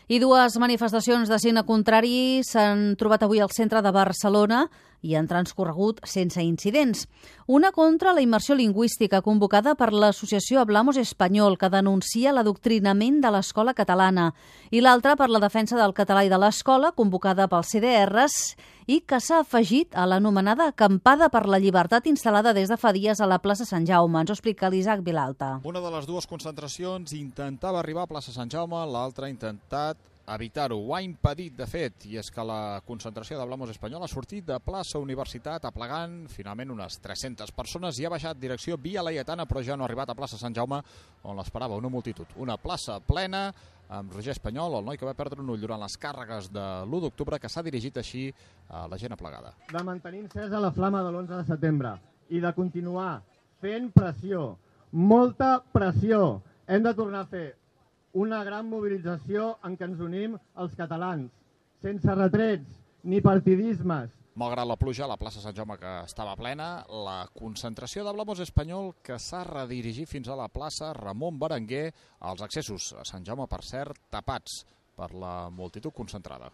I dues manifestacions de signe contrari s'han trobat avui al centre de Barcelona i han transcorregut sense incidents. Una contra la immersió lingüística convocada per l'associació Hablamos Español, que denuncia l'adoctrinament de l'escola catalana, i l'altra per la defensa del català i de l'escola, convocada pels CDRs, i que s'ha afegit a l'anomenada acampada per la llibertat instal·lada des de fa dies a la plaça Sant Jaume. Ens ho explica l'Isaac Vilalta. Una de les dues concentracions intentava arribar a plaça Sant Jaume, l'altra ha intentat evitar-ho. Ho ha impedit, de fet, i és que la concentració d'Hablamos Español ha sortit de plaça Universitat aplegant finalment unes 300 persones i ha baixat direcció Via Laietana, però ja no ha arribat a plaça Sant Jaume, on l'esperava una multitud. Una plaça plena amb Roger Espanyol, el noi que va perdre un ull durant les càrregues de l'1 d'octubre, que s'ha dirigit així a la gent aplegada. De mantenir encesa la flama de l'11 de setembre i de continuar fent pressió, molta pressió. Hem de tornar a fer una gran mobilització en què ens unim els catalans, sense retrets ni partidismes. Malgrat la pluja, la plaça Sant Jaume, que estava plena, la concentració d'Hablamos Español, que s'ha redirigit fins a la plaça Ramon Berenguer, els accessos a Sant Jaume, per cert, tapats per la multitud concentrada.